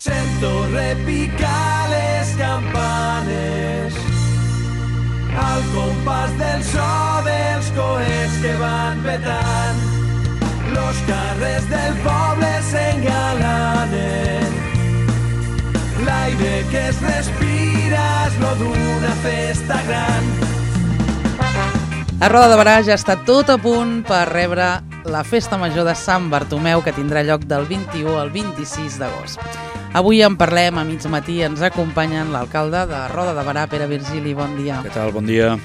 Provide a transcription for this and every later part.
Sento repicar les campanes al compàs del so dels coets que van petant. Los carrers del poble s'engalanen. L'aire que es respira és lo d'una festa gran. A Roda de Barà ja està tot a punt per rebre la Festa Major de Sant Bartomeu, que tindrà lloc del 21 al 26 d'agost. Avui en parlem a mig matí, ens acompanyen l'alcalde de Roda de Barà, Pere Virgili, bon dia. Què tal, bon dia.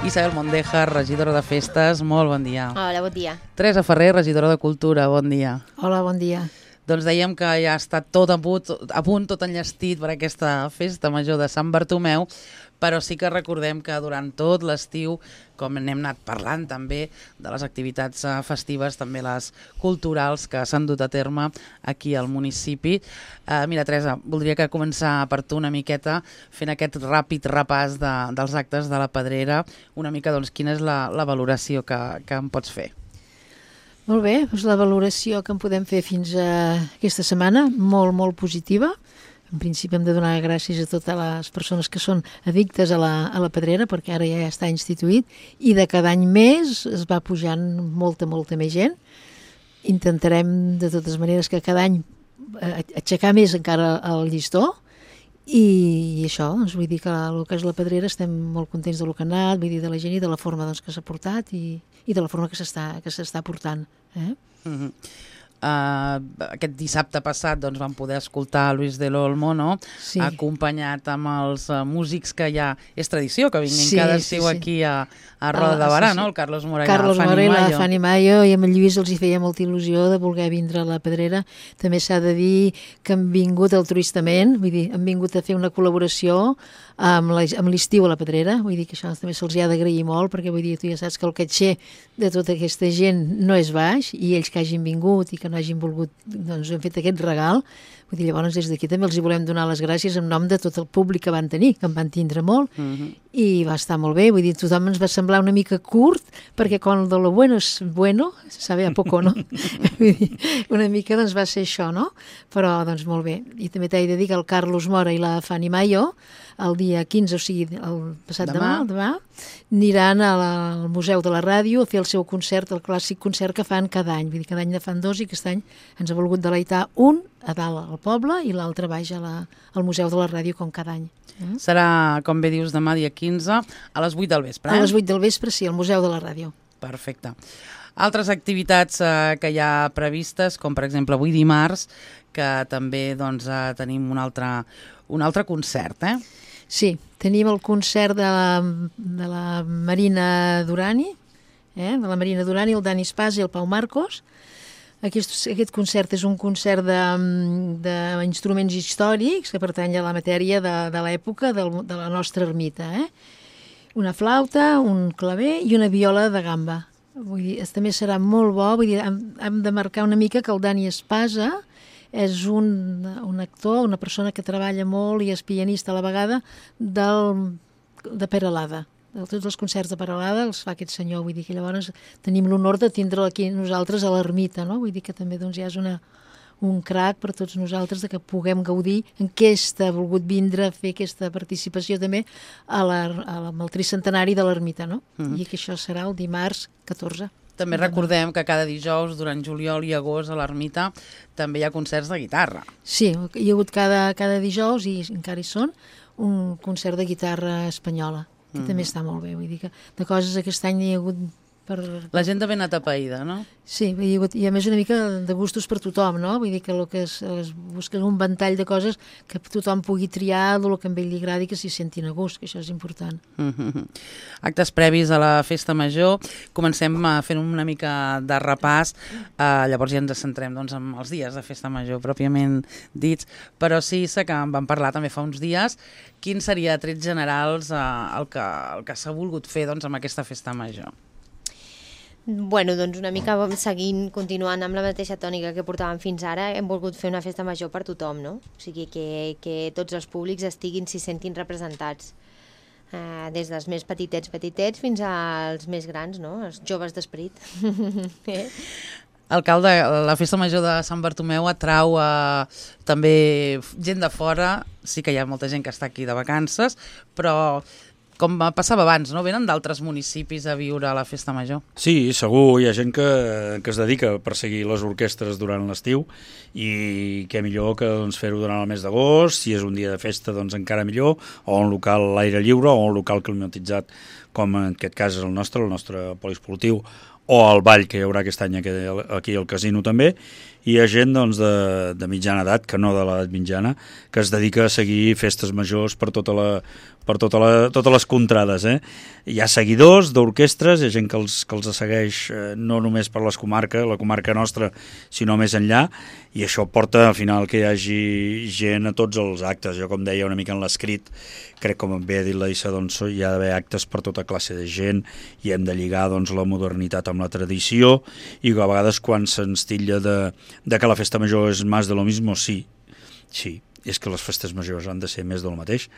Isabel Mondejar, regidora de Festes, molt bon dia. Hola, bon dia. Teresa Ferrer, regidora de Cultura, bon dia. Hola, bon dia. Doncs dèiem que ja està tot a punt, tot enllestit per aquesta Festa Major de Sant Bartomeu, però sí que recordem que durant tot l'estiu, com n'hem anat parlant també de les activitats festives, també les culturals que s'han dut a terme aquí al municipi. Mira, Teresa, voldria que començar per tu una miqueta fent aquest ràpid repàs dels actes de la Pedrera, una mica doncs quina és la valoració que em pots fer. Molt bé, doncs la valoració que en podem fer fins a aquesta setmana, molt, molt positiva. En principi hem de donar gràcies a totes les persones que són addictes a la Pedrera, perquè ara ja està instituït, i de cada any més es va pujant molta més gent. Intentarem de totes maneres que cada any aixecar més encara el llistó, i això, doncs vull dir que el que és la Pedrera estem molt contents del que ha anat, vull dir de la gent i de la forma doncs, que s'ha portat i de la forma que s'està portant. Aquest dissabte passat doncs, vam poder escoltar Luis del Olmo, no? Sí. Acompanyat amb els músics que ja és tradició, que vinguin cada estiu aquí a Roda de Barà, no? El Carlos Mora i la Fanny Mayo, i amb el Lluís els hi feia molta il·lusió de voler vindre a la Pedrera. També s'ha de dir que han vingut altruistament, vull dir, han vingut a fer una col·laboració amb l'estiu a la Pedrera, vull dir que això també se'ls ha d'agrair molt, perquè vull dir, tu ja saps que el caixer de tota aquesta gent no és baix, i ells que hagin vingut i que no hagin volgut, doncs hem fet aquest regal. Vull dir, llavors des d'aquí també els hi volem donar les gràcies en nom de tot el públic que van tenir, que en van tindre molt, i va estar molt bé, vull dir, tothom ens va semblar una mica curt, perquè quan de lo bueno és bueno, sabe a poco, no? Vull dir, una mica doncs va ser això, no? Però doncs molt bé, i també t'he de dir que el Carlos Mora i la Fanny Mayo, el dia 15, o sigui, el passat demà, aniran al Museu de la Ràdio a fer el seu concert, el clàssic concert que fan cada any. Vull dir, cada any ne fan dos i aquest any ens ha volgut deleitar un a dalt al poble i l'altre baix al Museu de la Ràdio, com cada any. Serà, com bé dius, demà dia 15 a les 8 del vespre. A les 8 del vespre, sí, al Museu de la Ràdio. Perfecte. Altres activitats que hi ha previstes, com per exemple avui dimarts, que també doncs, tenim un altre concert, Sí, tenim el concert de la Marina Durani, de la Marina Durani, el Dani Espàs i el Pau Marcos. Aquest concert és un concert d'instruments històrics que pertany a la matèria de l'època de la nostra ermita. Una flauta, un claver i una viola de gamba. Vull dir, també serà molt bo, vull dir, hem de marcar una mica que el Dani Espasa és un actor, una persona que treballa molt i és pianista a la vegada de Peralada. Tots els concerts de Peralada els fa aquest senyor, vull dir que llavors tenim l'honor de tindre'l aquí nosaltres a l'ermita, no? Vull dir que també doncs, ja és un crac per tots nosaltres de que puguem gaudir en què ha volgut vindre a fer aquesta participació també amb el tricentenari de l'ermita, no? I que això serà el dimarts 14. També recordem que cada dijous, durant juliol i agost, a l'ermita, també hi ha concerts de guitarra. Sí, hi ha hagut cada dijous, i encara hi són, un concert de guitarra espanyola, que també està molt bé. Vull dir que de coses aquest any hi ha hagut La gent ben atapeïda, no? Sí, i a més una mica de gustos per tothom, no? Vull dir que el que es busca un ventall de coses que tothom pugui triar del que a ell li agradi, que s'hi sentin a gust, que això és important. Actes previs a la Festa Major. Comencem fent una mica de repàs, llavors ja ens centrem doncs, en els dies de Festa Major pròpiament dits, però sí que en vam parlar també fa uns dies. Quin seria, a trets generals, el que s'ha volgut fer doncs, amb aquesta Festa Major? Bueno, doncs una mica continuant amb la mateixa tònica que portàvem fins ara, hem volgut fer una festa major per tothom, no? O sigui, que tots els públics s'hi sentin representats. Des dels més petitets fins als més grans, no? Els joves d'esperit. Alcalde, la Festa Major de Sant Bartomeu atrau també gent de fora, sí que hi ha molta gent que està aquí de vacances, però com passava abans, no? Venen d'altres municipis a viure a la Festa Major. Sí, segur, hi ha gent que es dedica a perseguir les orquestres durant l'estiu i què millor que fer-ho durant el mes d'agost, si és un dia de festa doncs encara millor, o un local a l'aire lliure o un local climatitzat com en aquest cas és el nostre poliesportiu, o el ball que hi haurà aquest any aquí al casino també, i hi ha gent doncs, de mitjana edat, que no de l'edat mitjana, que es dedica a seguir festes majors per totes les contrades. Hi ha seguidors d'orquestres, hi ha gent que els segueix no només per la comarca nostra, sinó més enllà, i això porta al final que hi hagi gent a tots els actes. Jo, com deia una mica en l'escrit, crec, com bé ha dit la Issa, doncs, hi ha d'haver actes per tota classe de gent i hem de lligar doncs, la modernitat amb la tradició, i a vegades quan se'ns titlla de que la festa major és més de lo mismo, sí, és que les festes majors han de ser més del mateix,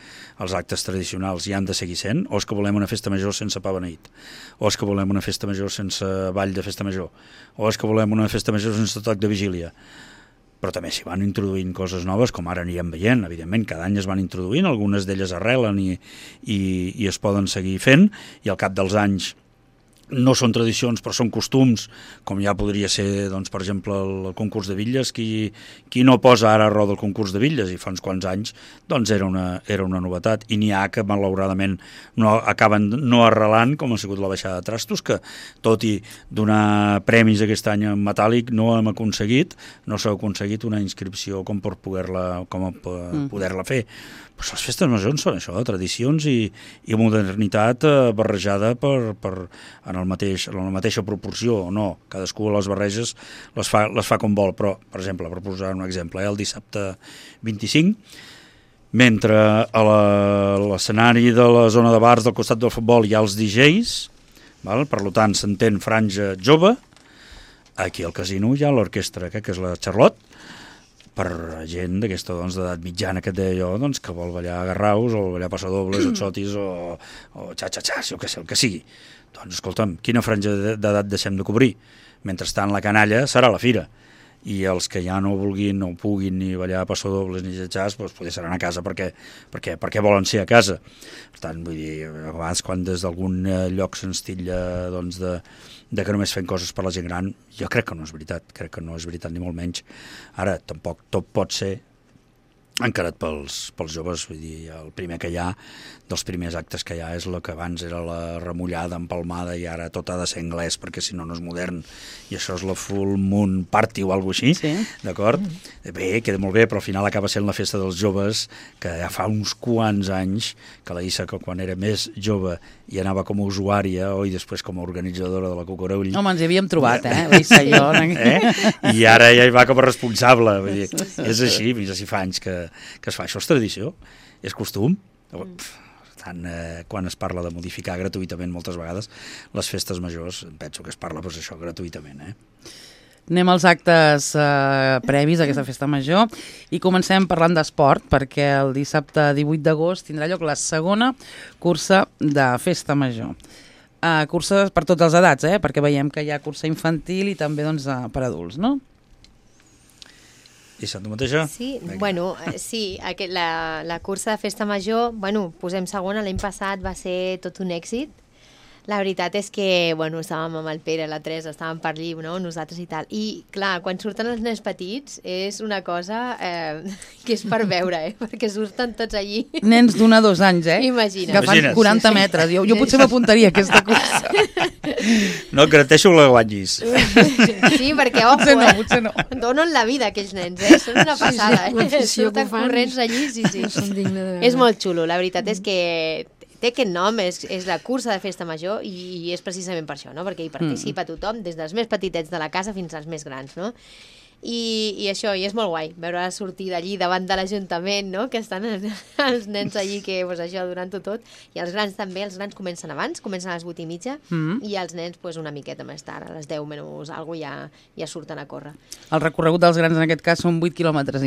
els actes tradicionals hi han de seguir sent, o és que volem una festa major sense pa beneït, o és que volem una festa major sense ball de festa major, o és que volem una festa major sense toc de vigília. Però també s'hi van introduint coses noves, com ara anirem veient, evidentment, cada any es van introduint, algunes d'elles arrelen i es poden seguir fent, i al cap dels anys no són tradicions però són costums, com ja podria ser doncs, per exemple el concurs de bitlles, qui no posa ara a roda el concurs de bitlles, i fa uns quants anys doncs era una novetat, i n'hi ha que malauradament acaben no arrelant, com ha sigut la baixada de trastos, que tot i donar premis aquest any en metàl·lic no s'ha aconseguit una inscripció com per poder-la fer. Pues les festes majors són això, tradicions i modernitat barrejada en la mateixa proporció o no. Cadascú les barreges les fa com vol, però, per exemple, per posar un exemple, el dissabte 25, mentre a l'escenari de la zona de bars del costat del futbol hi ha els DJs, per tant s'entén franja jove, aquí al casino hi ha l'orquestra, que és la Charlotte, per gent d'aquesta d'edat mitjana que et deia jo, doncs, que vol ballar garraus o ballar passadobles, exotis o xa-xa-xas, o el que sigui. Doncs escolta'm, quina franja d'edat deixem de cobrir? Mentrestant la canalla serà la fira, i els que ja no vulguin, no puguin ni ballar passadobles ni xa-xas, doncs potser seran a casa perquè volen ser a casa. Per tant, vull dir, a vegades quan des d'algun lloc se'ns titlla doncs, de que només fem coses per la gent gran, jo crec que no és veritat, ni molt menys. Ara, tampoc tot pot ser encarat pels joves, vull dir, el primer que hi ha, dels primers actes que hi ha, és el que abans era la remullada empalmada i ara tot ha de ser anglès perquè si no no és modern, i això és la Full Moon Party o alguna cosa així, sí. D'acord? Bé, queda molt bé, però al final acaba sent la festa dels joves, que ja fa uns quants anys que la Issa, que quan era més jove i anava com a usuària i després com a organitzadora de la Cucurull. Home, ens hi havíem trobat, la Issa i jo. I ara ja hi va com a responsable, vull dir, és així, fins a 5 anys que es fa. Això és tradició, és costum. Tant, quan es parla de modificar gratuïtament moltes vegades les festes majors, penso que es parla doncs, això gratuïtament. Anem als actes previs a aquesta festa major i comencem parlant d'esport, perquè el dissabte 18 d'agost tindrà lloc la segona cursa de festa major. Curses per totes les edats, perquè veiem que hi ha cursa infantil i també doncs, per adults, no? I tu mateixa? Sí, sí, la cursa de festa major, posem segona, l'any passat va ser tot un èxit. La veritat és que, estàvem amb el Pere, la Teresa, estàvem per allí, nosaltres i tal. I, clar, quan surten els nens petits és una cosa que és per veure, perquè surten tots allí. Nens d'1 a 2 anys, Imagina't. Que fan 40 metres. Jo potser m'apuntaria a aquesta cursa. No, garanteixo que la guanyis. Sí, perquè, potser no. Donen la vida aquells nens, són una passada. Surten corrents allí, sí. És molt xulo, la veritat és que té aquest nom, és la cursa de festa major i és precisament per això, no? Perquè hi participa tothom, des dels més petitets de la casa fins als més grans, no? I això, i és molt guai, veure sortir d'allí davant de l'Ajuntament, no? Que estan els nens allí que, això, donant-ho tot, i els grans també, els grans comencen abans, comencen a les 8:30, i els nens una miqueta més tard, a les 10 menys alguna cosa ja surten a córrer. El recorregut dels grans en aquest cas són 8,5 quilòmetres.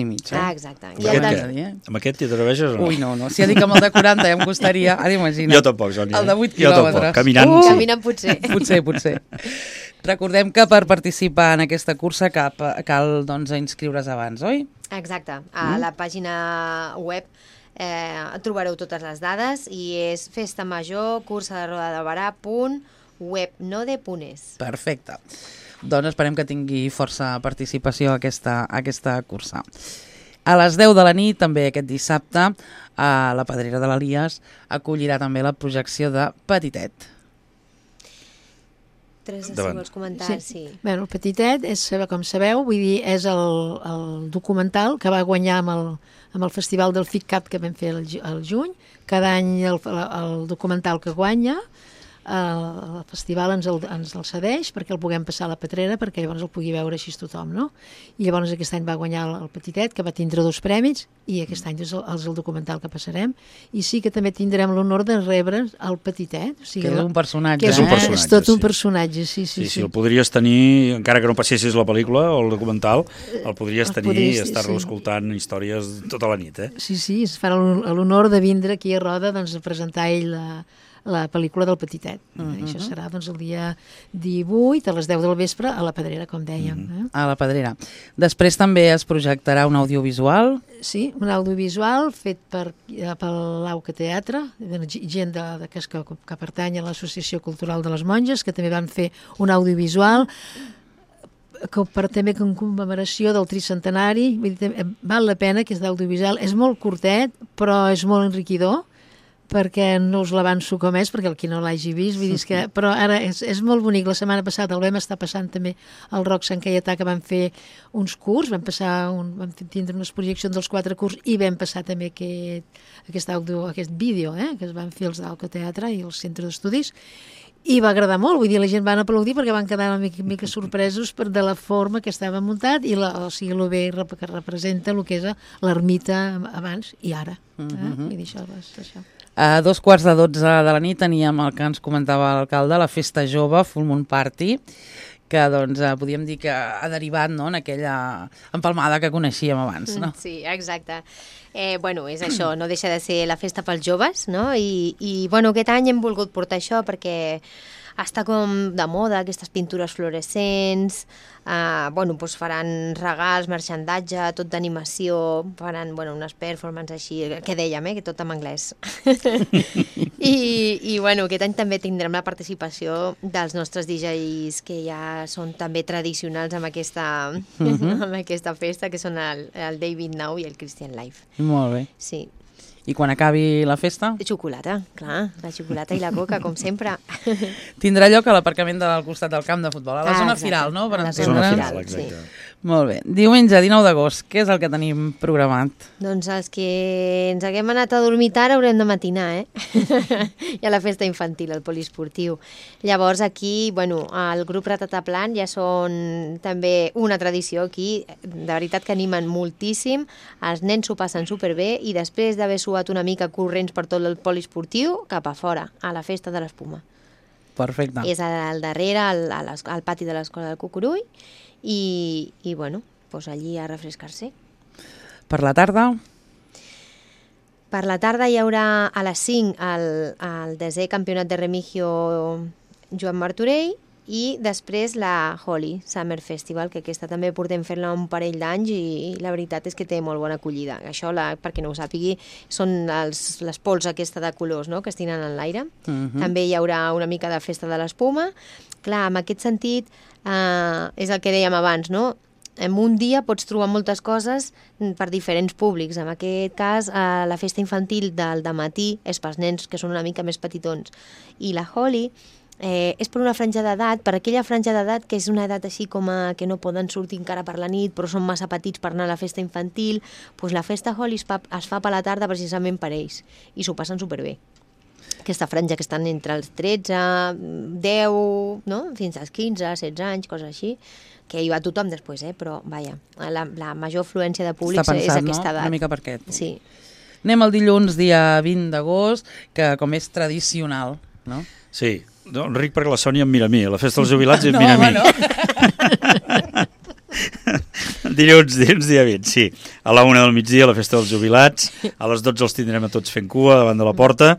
Exacte. Amb aquest t'hi atreveixes o no? Ui, no. Si ja dic amb el de 40 ja em costaria, ara imagina't. Jo tampoc, Sònia. El de 8 quilòmetres. Caminant potser. Potser. Recordem que per participar en aquesta cursa cal doncs, inscriure's abans, oi? Exacte. A la pàgina web trobareu totes les dades i és festamajor.cursa-de-Barà.webnode.es. Perfecte. Doncs esperem que tingui força participació aquesta cursa. A les 10 de la nit, també aquest dissabte, a la Pedrera de l'Elies acollirà també la projecció de Petitet. Teresa, si vols comentar, sí. Bueno, el Petitet, com sabeu, vull dir, és el documental que va guanyar amb el Festival del FICCAP que vam fer al juny. Cada any el documental que guanya, el festival ens el cedeix perquè el puguem passar a la Pedrera, perquè llavors el pugui veure així tothom, no? I llavors aquest any va guanyar el Petitet, que va tindre 2 premis, i aquest any és el documental que passarem, i sí que també tindrem l'honor de rebre el Petitet. O sigui, que és un personatge. És un personatge, és tot un personatge, sí. El podries tenir, encara que no passessis la pel·lícula o el documental, el podries tenir i estar-lo escoltant històries tota la nit, eh? Sí, es farà l'honor de vindre aquí a Roda a presentar ell la pel·lícula del Petitet. Això serà el dia 18 a les 10 del vespre a la Pedrera, com dèiem. A la Pedrera. Després també es projectarà un audiovisual. Sí, un audiovisual fet per l'Auca Teatre, gent que pertany a l'Associació Cultural de les Monges, que també van fer un audiovisual també en commemoració del tricentenari. Val la pena, que és d'audiovisual. És molt curtet, però és molt enriquidor, perquè no us l'avanço com és, perquè el qui no l'hagi vist, vull dir que, però ara és molt bonic. La setmana passada el vam estar passant també al Roc Sant Caietà, que vam fer uns curs, vam tindre unes projeccions dels 4 curs i vam passar també aquest vídeo que es van fer els d'Auca Teatre i el Centre d'Estudis, i va agradar molt, vull dir, la gent van aplaudir perquè van quedar una mica sorpresos de la forma que estava muntat i el bé que representa el que és l'ermita abans i ara. Vull dir, això. A 2:15 de la nit teníem el que ens comentava l'alcalde, la Festa Jove, Full Moon Party, que doncs podríem dir que ha derivat en aquella empalmada que coneixíem abans, no? Sí, exacte. Bueno, és això, no deixa de ser la festa pels joves, no? I bueno, aquest any hem volgut portar això perquè està com de moda, aquestes pintures fluorescents, bueno, doncs faran regals, marxandatge, tot d'animació, faran unes performances així, que dèiem, que tot en anglès. I bueno, aquest any també tindrem la participació dels nostres DJs que ja són també tradicionals amb aquesta festa, que són el David Now i el Christian Life. Molt bé. Sí. I quan acabi la festa? Xocolata, clar, la xocolata i la coca, com sempre. Tindrà lloc a l'aparcament del costat del camp de futbol, a la zona firal, no? A la zona firal, exacte. Sí. Molt bé. Diumenge, 19 d'agost, què és el que tenim programat? Doncs els que ens haguem anat a dormir tard haurem de matinar, I a la festa infantil, al poliesportiu. Llavors aquí, bueno, el grup Ratataplan ja són també una tradició aquí, de veritat que animen moltíssim, els nens s'ho passen superbé i després d'haver suat una mica corrents per tot el poliesportiu, cap a fora, a la festa de l'espuma. Perfecte. És al darrere, al pati de l'Escola del Cucurull, i bueno, doncs allí a refrescar-se. Per la tarda? Per la tarda hi haurà a les 5 el 10è campionat de Remigio Joan Martorell i després la Holi Summer Festival, que aquesta també portem fent-la un parell d'anys i la veritat és que té molt bona acollida. Això, perquè no ho sàpigui, són les pols aquesta de colors, no?, que es tiren en l'aire. També hi haurà una mica de festa de l'espuma. Clar, en aquest sentit, és el que dèiem abans, no? En un dia pots trobar moltes coses per diferents públics. En aquest cas, la festa infantil del dematí és pels nens que són una mica més petitons. I la Holi és per una franja d'edat, per aquella franja d'edat que és una edat així com que no poden sortir encara per la nit, però són massa petits per anar a la festa infantil. Doncs la festa Holi es fa per la tarda precisament per ells i s'ho passen superbé. Aquesta franja que estan entre els 13, 10, no?, fins als 15, 16 anys, coses així, que hi va tothom després, però vaja, la major afluència de públics és aquesta edat. Una mica per aquest. Sí. Anem al dilluns, dia 20 d'agost, que com és tradicional, no? Sí, Enric, perquè la Sònia em mira a mi, a la festa dels jubilats em mira a mi. Dilluns dia 20, sí. A la 1 del migdia, la festa dels jubilats. A les 12 els tindrem a tots fent cua davant de la porta.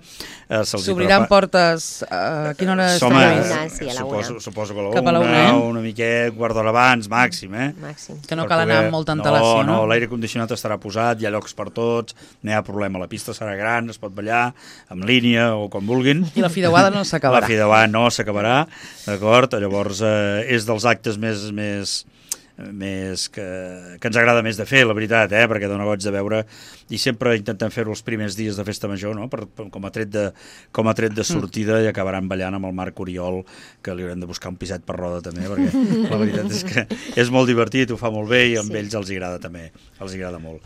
S'obriran portes a quina hora Sí, a la 1. Suposo que a Cap a la la 1, 1, una miqueta, quart d'hora abans, màxim, Màxim. Que no cal anar amb molta antelació, no? No, l'aire condicionat estarà posat, hi ha llocs per tots, no hi ha problema, la pista serà gran, es pot ballar en línia o com vulguin. I la fideuada no s'acabarà. La fideuada no s'acabarà, d'acord? Llavors és dels actes més que ens agrada més de fer, la veritat, perquè dona goig de veure, i sempre intentem fer-ho els primers dies de festa major, no? com a tret de sortida, i acabaran ballant amb el Marc Oriol, que li haurem de buscar un piset per roda també, perquè la veritat és que és molt divertit, ho fa molt bé, i amb ells els agrada també, els agrada molt.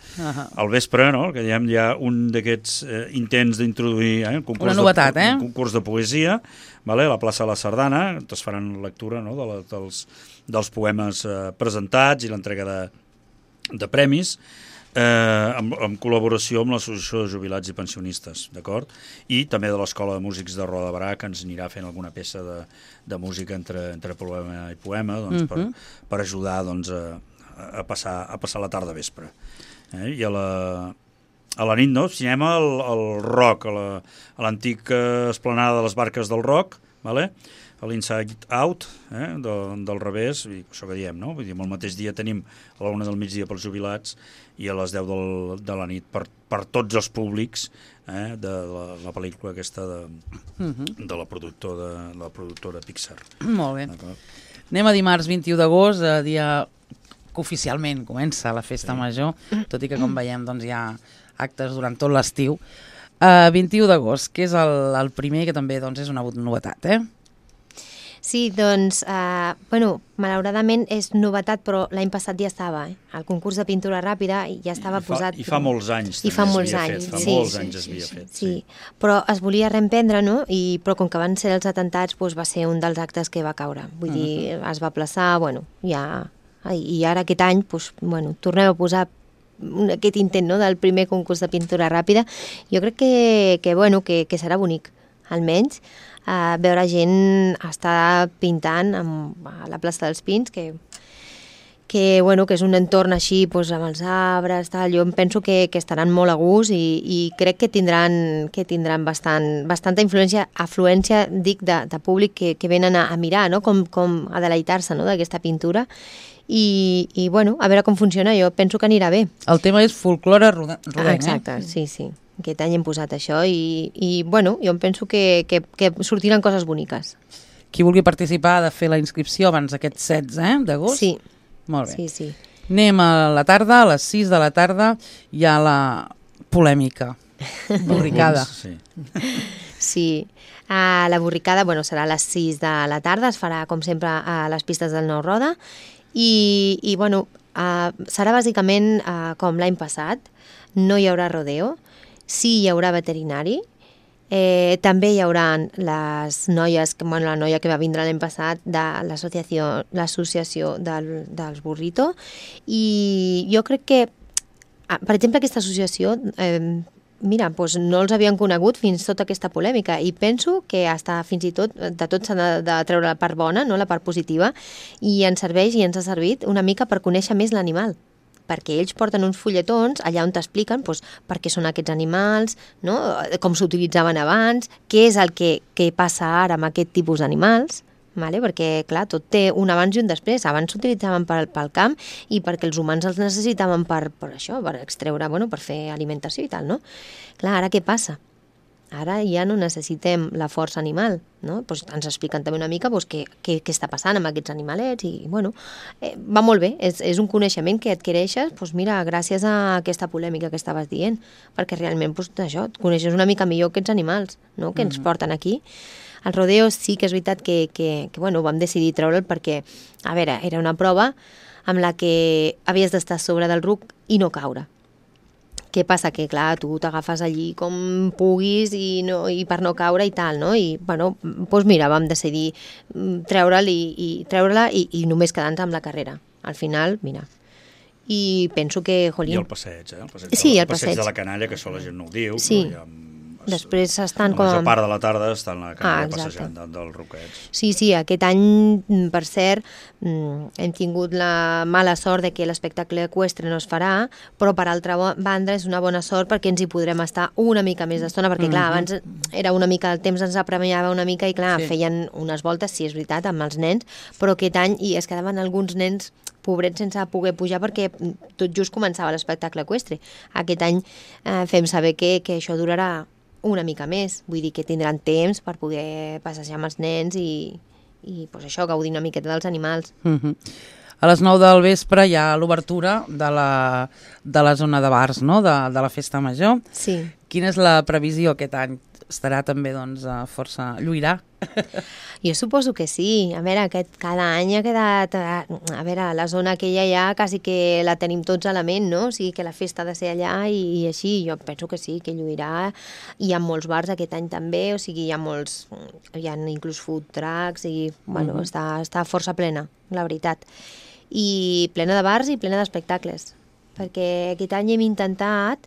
Al vespre, no? Que diem, hi ha un d'aquests intents d'introduir un concurs de poesia, vale? A la plaça de la Sardana, es faran lectura, no? dels poemes presentats i l'entrega de premis, en col·laboració amb l'Associació de Jubilats i Pensionistes, d'acord? I també de l'Escola de Músics de Roda de Barà, que ens anirà fent alguna peça de música entre poema i poema, doncs, per ajudar doncs, a passar la tarda vespre. I a la nit, no? Cinema al Roc, a l'antic esplanada de les Barques del Roc, vale? A l'Inside Out, del revés, això que diem, no? Vull dir, el mateix dia tenim a la 1 del migdia pels jubilats i a les 10 de la nit per tots els públics de la pel·lícula aquesta de la productora Pixar. Molt bé. Anem a dimarts 21 d'agost, dia que oficialment comença la festa major, tot i que, com veiem, doncs, hi ha actes durant tot l'estiu. 21 d'agost, que és el primer, que també doncs, és una novetat, Sí, doncs, malauradament és novetat, però l'any passat ja estava, el concurs de pintura ràpida ja estava posat. I fa molts anys també molts anys es havia fet. Sí, però es volia reemprendre, no? Però com que van ser els atentats, doncs va ser un dels actes que va caure. Vull dir, es va aplaçar, i ara aquest any, tornem a posar aquest intent, no?, del primer concurs de pintura ràpida. Jo crec que serà bonic, almenys, veure gent estar pintant a la plaça dels Pins, que és un entorn així amb els arbres, tal. Jo em penso que estaran molt a gust i crec que tindran bastanta afluència, dic, de públic que venen a mirar, no?, com a deleitar-se, no?, d'aquesta pintura. I a veure com funciona, jo penso que anirà bé. El tema és folklore rodenc, Exacte, sí. Aquest any hem posat això i jo em penso que sortiran coses boniques. Qui vulgui participar ha de fer la inscripció abans d'aquest 16 d'agost? Sí. Molt bé. Sí. Anem a la tarda, a les 6 de la tarda, hi ha la polèmica, borricada. Sí. La borricada serà a les 6 de la tarda, es farà com sempre a les pistes del Nou Roda i serà bàsicament com l'any passat, no hi haurà rodeo, sí hi haurà veterinari, també hi haurà les noies, la noia que va vindre l'any passat de l'associació dels Burrito, i jo crec que, per exemple, aquesta associació, no els havien conegut fins tota aquesta polèmica i penso que fins i tot de tot s'ha de treure la part bona, no, la part positiva, i ens serveix i ens ha servit una mica per conèixer més l'animal, perquè ells porten uns fulletons allà on t'expliquen per què són aquests animals, no? Com s'utilitzaven abans, què és el que passa ara amb aquest tipus d'animals, vale? Perquè, clar, tot té un abans i un després. Abans s'utilitzaven pel camp i perquè els humans els necessitaven per això, per extreure, per fer alimentació i tal, no? Clar, ara què passa? Ara ja no necessitem la força animal, no? Ens expliquen també una mica què està passant amb aquests animalets i, va molt bé, és un coneixement que adquireixes, gràcies a aquesta polèmica que estaves dient, perquè realment, això, et coneixes una mica millor aquests animals, no?, que ens porten aquí. El rodeo sí que és veritat que vam decidir treure'l perquè, a veure, era una prova amb la que havies d'estar sobre del ruc i no caure. Què passa? Que, clar, tu t'agafes allí com puguis i per no caure i tal, no? I, vam decidir treure-la i només quedar-nos amb la carrera. Al final, mira. I penso que, jolín... I el passeig, Sí, el passeig de la canalla, que això la gent no ho diu, sí. Però Després estan La com... major part de la tarda estan a la canalla exacte. passejant dels Roquets. Sí, aquest any, per cert, hem tingut la mala sort de que l'espectacle eqüestre no es farà, però per altra banda és una bona sort perquè ens hi podrem estar una mica més d'estona, perquè clar, abans era una mica, el temps ens apremiava una mica i clar, feien unes voltes, sí, és veritat, amb els nens, però aquest any i es quedaven alguns nens pobrets sense poder pujar perquè tot just començava l'espectacle eqüestre. Aquest any fem saber que això durarà una mica més, vull dir que tindran temps per poder passejar amb els nens i pues això, gaudir una miqueta dels animals. A les 9 del vespre hi ha l'obertura de la zona de bars, no?, de la Festa Major. Sí. Quina és la previsió aquest any? Estarà també, doncs, força... lluirà? Jo suposo que sí. A veure, cada any ha quedat... A veure, la zona aquella ja quasi que la tenim tots a la ment, no? O sigui, que la festa ha de ser allà i així. Jo penso que sí, que lluirà. Hi ha molts bars aquest any també, o sigui, hi ha molts... Hi ha inclús food trucks i, bueno, està força plena, la veritat. I plena de bars i plena d'espectacles. Perquè aquest any hem intentat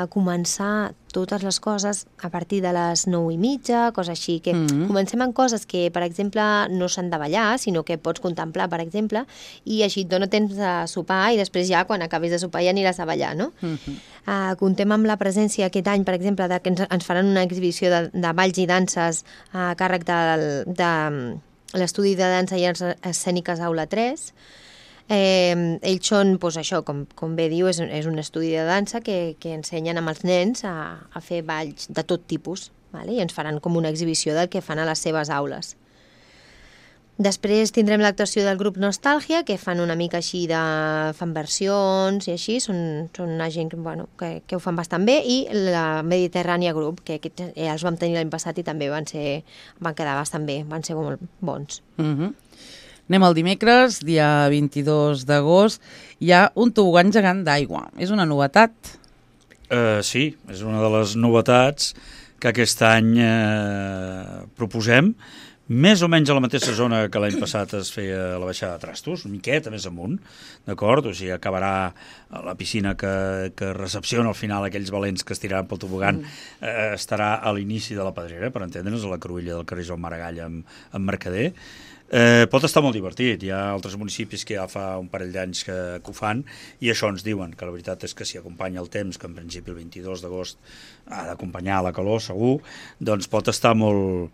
començar totes les coses a partir de les 9:30, coses així, que comencem amb coses que, per exemple, no s'han de ballar, sinó que pots contemplar, per exemple, i així et dona temps de sopar i després ja, quan acabis de sopar, ja aniràs a ballar, no? Contem amb la presència aquest any, per exemple, que ens faran una exhibició de balls i danses a càrrec de l'estudi de dansa i arts escèniques Aula 3. Ells són, doncs això, com bé diu, és un estudi de dansa que ensenyen amb els nens a fer balls de tot tipus, vale? I ens faran com una exhibició del que fan a les seves aules. Després tindrem l'actuació del grup Nostàlgia, que fan una mica així fan versions i així, són una gent que ho fan bastant bé, i la Mediterrània Group, que els vam tenir l'any passat i també van quedar bastant bé, van ser molt bons. Anem al dimecres, dia 22 d'agost. Hi ha un tobogan gegant d'aigua. És una novetat? Sí, és una de les novetats que aquest any proposem, més o menys a la mateixa zona que l'any passat es feia la baixada de Trastos, una miqueta més amunt, d'acord? O sigui, acabarà la piscina que recepciona al final aquells valents que es tiraran pel tobogan, estarà a l'inici de la Pedrera, per entendre'ns, a la cruïlla del carrer Joan Maragall amb Mercader. Pot estar molt divertit, hi ha altres municipis que ja fa un parell d'anys que ho fan i això ens diuen, que la veritat és que si acompanya el temps, que en principi el 22 d'agost ha d'acompanyar la calor segur, doncs pot estar molt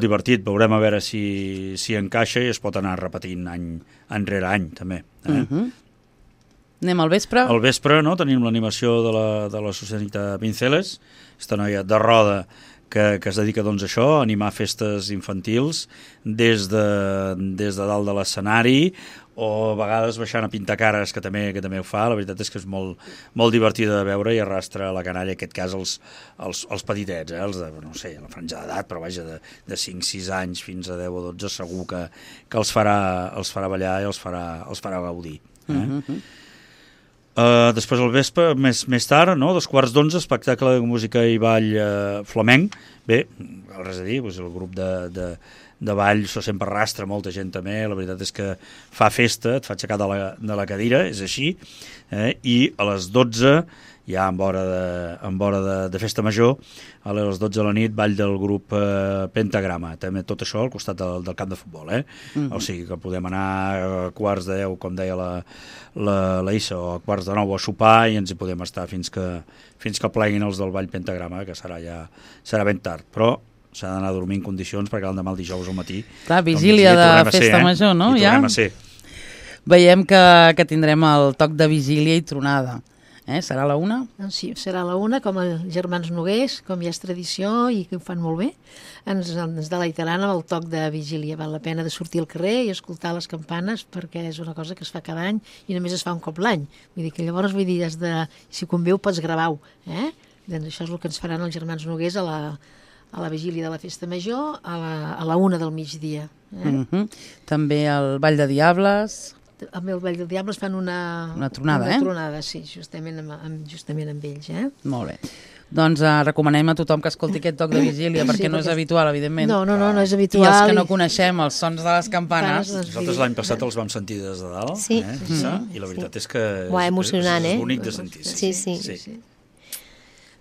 divertit. Veurem a veure si encaixa i es pot anar repetint any enrere any també. Anem al vespre? Al vespre, no? Tenim l'animació de la Susanita Pinceles, aquesta noia de Roda que es dedica doncs a això, a animar festes infantils des de dalt de l'escenari o a vegades baixant a pintar cares, que també ho fa. La veritat és que és molt divertida de veure i arrastra la canalla, en aquest cas els petitets, els de, no sé, la franja d'edat, però vaja, de 5-6 anys fins a 10 o 12 segur que els farà ballar i els farà gaudir. Després al vespre, més tard, no? 11:15, espectacle de música i ball flamenc. Bé, res a dir, doncs el grup de ball, això sempre arrastra molta gent també, la veritat és que fa festa, et fa aixecar de la cadira, és així, i a les 12, ja amb hora de festa major, a les 12 de la nit, ball del grup Pentagrama, també tot això al costat del camp de futbol, o sigui que podem anar a 11:15, com deia la Issa, o a 11:45 a sopar i ens hi podem estar fins que pleguin els del ball Pentagrama, que serà ben tard, però s'ha d'anar a dormir en condicions perquè l'endemà el dijous al matí... Clar, vigília de festa major, no? I tornem a ser. Veiem que tindrem el toc de vigília i tronada. Serà a la 1? Doncs sí, serà a la 1, com els germans Noguers, com ja és tradició i que ho fan molt bé. Ens deleitaran amb el toc de vigília. Val la pena de sortir al carrer i escoltar les campanes perquè és una cosa que es fa cada any i només es fa un cop l'any. Vull dir que llavors, si convé ho pots gravar-ho. Doncs això és el que ens faran els germans Noguers a la vigília de la Festa Major a la 1 del migdia. També el Ball de Diables... Amb el Ball de Diables fan una tronada, Una tronada, sí, justament amb ells, Molt bé. Doncs recomanem a tothom que escolti aquest toc de vigília, perquè no és habitual, evidentment. No és habitual. I els que no coneixem els sons de les campanes... Nosaltres l'any passat els vam sentir des de dalt, i la veritat és que emocionant, és bonic de sentir. Sí.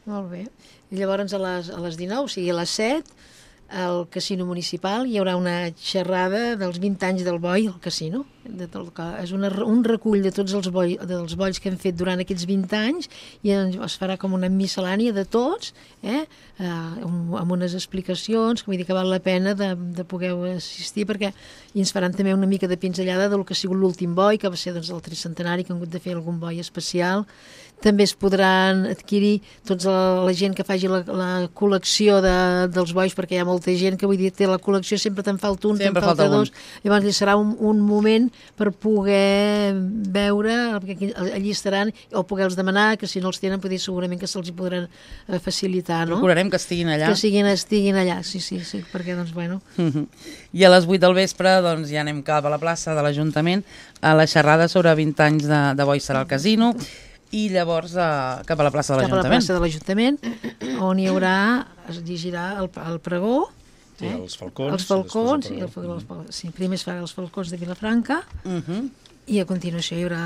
Molt bé. I llavors a les 19, o sigui a les 7, al Casino Municipal hi haurà una xerrada dels 20 anys del boi al casino. És un recull de tots els bolls que hem fet durant aquests 20 anys i es farà com una miscel·lània de tots, amb unes explicacions, que vull dir que val la pena de poder assistir, perquè ens faran també una mica de pinzellada del que ha sigut l'últim boi, que va ser el tricentenari, que han hagut de fer algun boi especial. També es podran adquirir tota la gent que faci la col·lecció dels bois, perquè hi ha molta gent que, vull dir, té la col·lecció, sempre te'n falta un, te'n falta dos. Llavors serà un moment per poder veure, perquè allí estaran, o poder-los demanar, que si no els tenen, segurament que se'ls podran facilitar, no? Procurarem que estiguin allà. Que estiguin allà, sí, perquè, doncs, bueno... I a les 8 del vespre, doncs, ja anem cap a la plaça de l'Ajuntament, a la xerrada sobre 20 anys de boi serà al casino, i llavors cap a la plaça de l'Ajuntament. Cap a la plaça de l'Ajuntament, on hi haurà, es llegirà el pregó, els falcons. Sí, primer es farà els falcons de Vilafranca, i a continuació hi haurà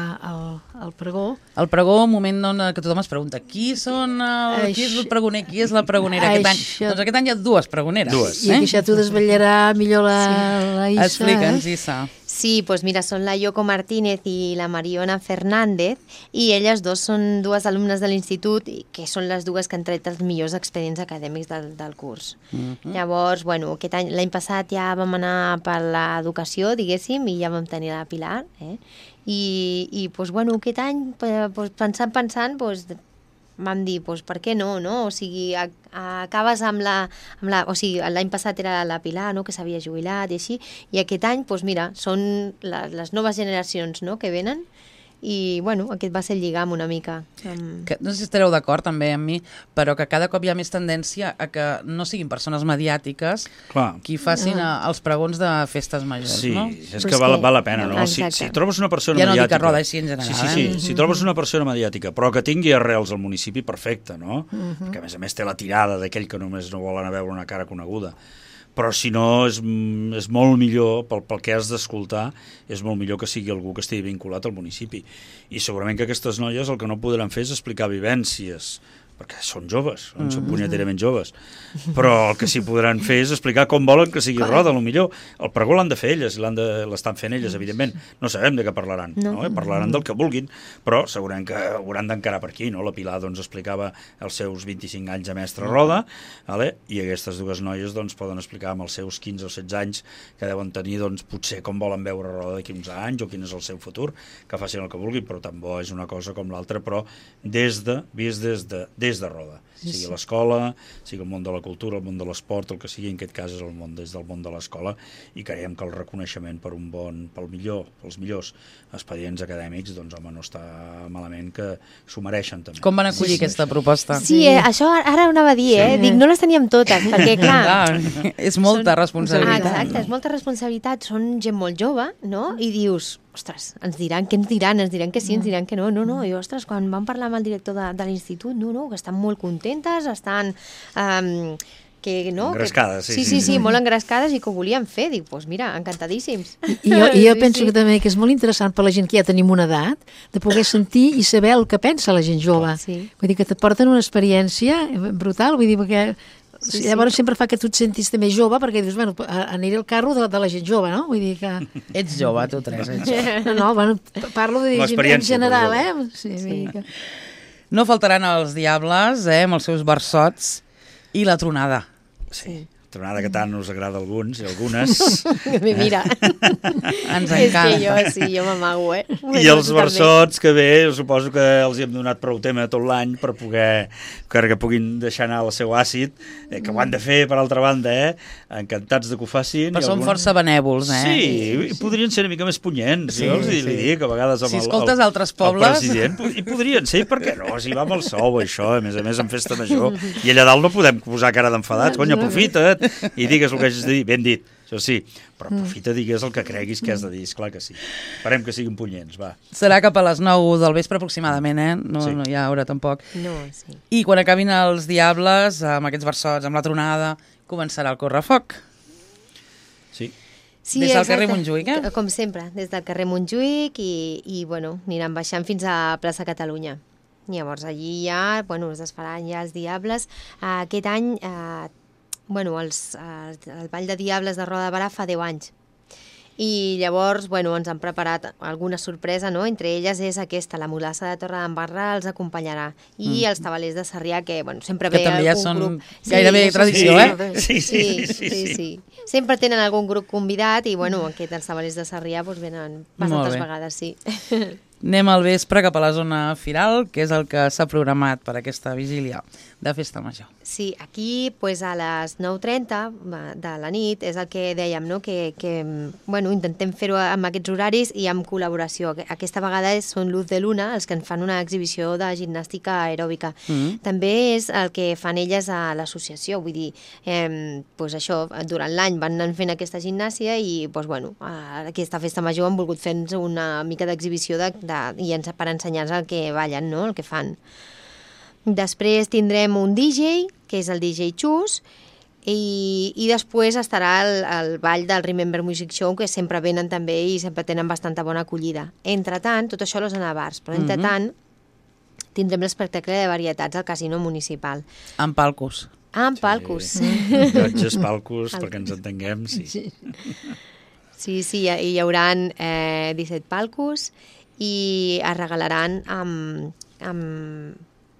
el pregó. El pregó, un moment que tothom es pregunta qui és el pregoner, qui és la pregonera aquest any? Doncs aquest any hi ha dues pregoneres. I això t'ho desvetllarà millor la Issa. Explica'ns, Issa. Sí, pues mira, son la Yoko Martínez y la Mariona Fernández, i elles dos són dues alumnes de l'institut, que són les dues que han tret els millors expedients acadèmics del curs. Llavors, bueno, l'any passat ja vam anar per l'educació, diguéssim, i ja vam tenir la Pilar, i pues, bueno, aquest any, pues, pensant, pues, vam dir, doncs, per què no, no? O sigui, acabes amb o sigui, l'any passat era la Pilar, no?, que s'havia jubilat i així, i aquest any, doncs mira, són les noves generacions, no?, que venen, i, bueno, aquest va ser el lligam una mica. No sé si estareu d'acord també amb mi, però que cada cop hi ha més tendència a que no siguin persones mediàtiques qui facin els pregons de festes majors, no? Sí, és que val la pena, no? Si trobes una persona mediàtica... Ja no dic a Roda, així en general. Sí, si trobes una persona mediàtica, però que tingui arrels al municipi, perfecte, no? Perquè, a més té la tirada d'aquell que només no vol anar a veure una cara coneguda. Però si no, és molt millor, pel que has d'escoltar, és molt millor que sigui algú que estigui vinculat al municipi. I segurament que aquestes noies el que no podran fer és explicar vivències, perquè són joves, són punyeterament joves, però el que sí podran fer és explicar com volen que sigui Roda, potser. El pregó l'han de fer elles, l'estan fent elles, evidentment. No sabem de què parlaran, no? Parlaran del que vulguin, però segurament que hauran d'encarar per aquí, no? La Pilar doncs, explicava els seus 25 anys a mestre Roda, i aquestes dues noies doncs, poden explicar amb els seus 15 o 16 anys que deuen tenir doncs, potser com volen veure Roda d'aquí uns anys o quin és el seu futur, que facin el que vulguin, però tan bo és una cosa com l'altra, però vist des de Roda, sigui l'escola, sigui el món de la cultura, el món de l'esport, el que sigui, en aquest cas és des del món de l'escola, i creiem que el reconeixement pels millors expedients acadèmics, doncs home, no està malament, que s'ho mereixen també. Com van acollir aquesta proposta? Sí, això ara ho anava a dir, dic, no les teníem totes, perquè clar... És molta responsabilitat. Exacte, és molta responsabilitat, són gent molt jove, no? I dius, ostres, ens diran que sí, ens diran que no, i ostres, quan vam parlar amb el director de l'institut, que estan molt contentes, estan... engrescades, sí, molt engrescades i que ho volien fer, dic, doncs mira, encantadíssims. I jo penso que també que és molt interessant per la gent que ja tenim una edat, de poder sentir i saber el que pensa la gent jove. Vull dir que t'aporten una experiència brutal, vull dir, perquè... Llavors sempre fa que tu et sentis també jove, perquè dius, bueno, aniré al carro de la gent jove, no? Vull dir que... Ets jove, tu, Teresa, ets jove. No, bueno, parlo de en general, Sí. No faltaran els diables, amb els seus versots, i la tronada. Sí. Tronada que tant us agrada a alguns i algunes. Mira, ens encanta. És que jo m'amago, I els versots que bé, suposo que els hi hem donat prou tema tot l'any per poder, que puguin deixar anar el seu àcid, que ho han de fer, per altra banda, encantats de que ho facin. Però són força benèvols, Sí, podrien ser una mica més punyents, jo els dic, a vegades amb si escoltes altres pobles... el president, i podrien ser, per què no? Si va amb el sou, això, a més en festa major, i allà dalt no podem posar cara d'enfadats, cony, aprofita't, i digues el que hagis de dir, ben dit, això sí, però aprofita, digues el que creguis que has de dir, esclar que sí. Esperem que siguin punyents, va. Serà cap a les 9 del vespre aproximadament, no hi ha hora tampoc. No, sí. I quan acabin els diables, amb aquests versots, amb la tronada, començarà el correfoc. Sí. Sí, des del carrer Montjuïc, Com sempre, des del carrer Montjuïc i bueno, aniran baixant fins a plaça Catalunya. Llavors allí ja, es desfaran ja els Diables. Aquest any, el Ball de Diables de Roda de Barà fa 10 anys. I llavors, ens han preparat alguna sorpresa, no? Entre elles és aquesta, la mulassa de Torredembarra els acompanyarà. I els tabalers de Sarrià, que, sempre ve també ja algun són grup... gairebé tradició, Sí. Sempre tenen algun grup convidat i, aquests tabalers de Sarrià venen bastantes vegades, sí. Anem al vespre cap a la zona firal, que és el que s'ha programat per aquesta vigília de Festa Major. Sí, aquí a les 9:30 de la nit és el que dèiem, no? que intentem fer-ho amb aquests horaris i amb col·laboració. Aquesta vegada són Luz de Luna, els que en fan una exhibició de gimnàstica aeròbica. També és el que fan elles a l'associació, vull dir, això, durant l'any van anar fent aquesta gimnàsia i, aquesta Festa Major han volgut fer-nos una mica d'exhibició per ensenyar-nos el que ballen, no? El que fan. Després tindrem un DJ, que és el DJ Xus, i després estarà el ball del Remember Music Show, que sempre venen també i sempre tenen bastanta bona acollida. Entretant, tot això és a bars, però entretant tindrem l'espectacle de varietats al Casino Municipal. Amb palcos. Amb palcos. Llotges, palcos, perquè ens entenguem, sí. Sí, hi haurà 17 palcos i es regalaran amb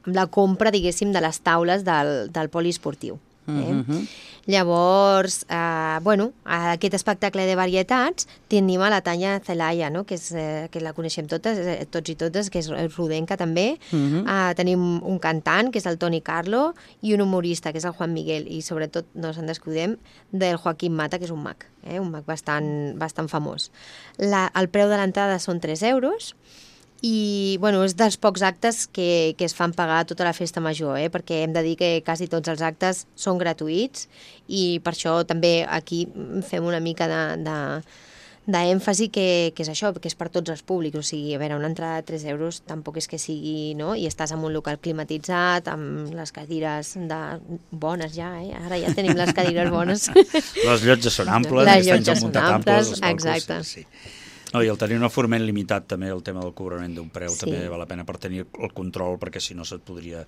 la compra, diguéssim, de les taules del poliesportiu. Llavors, aquest espectacle de varietats tenim a la Tanya Zelaya, no? que la coneixem tots i totes, que és rodenca també. Tenim un cantant, que és el Toni Carlo, i un humorista, que és el Juan Miguel, i sobretot, no se'n descuidem, del Joaquim Mata, que és un mag bastant famós. El preu de l'entrada són 3 euros, i és dels pocs actes que es fan pagar tota la Festa Major, perquè hem de dir que quasi tots els actes són gratuïts i per això també aquí fem una mica d'èmfasi que és això, que és per tots els públics. O sigui, a veure, una entrada de 3 euros tampoc és que sigui, no? I estàs en un local climatitzat, amb les cadires bones ja, Ara ja tenim les cadires bones. Les llotges són amples, les llotges són amples, exacte. Sí. No, i el tenir un aforament limitat també, el tema del cobrament d'un preu, també val la pena per tenir el control, perquè si no se't podria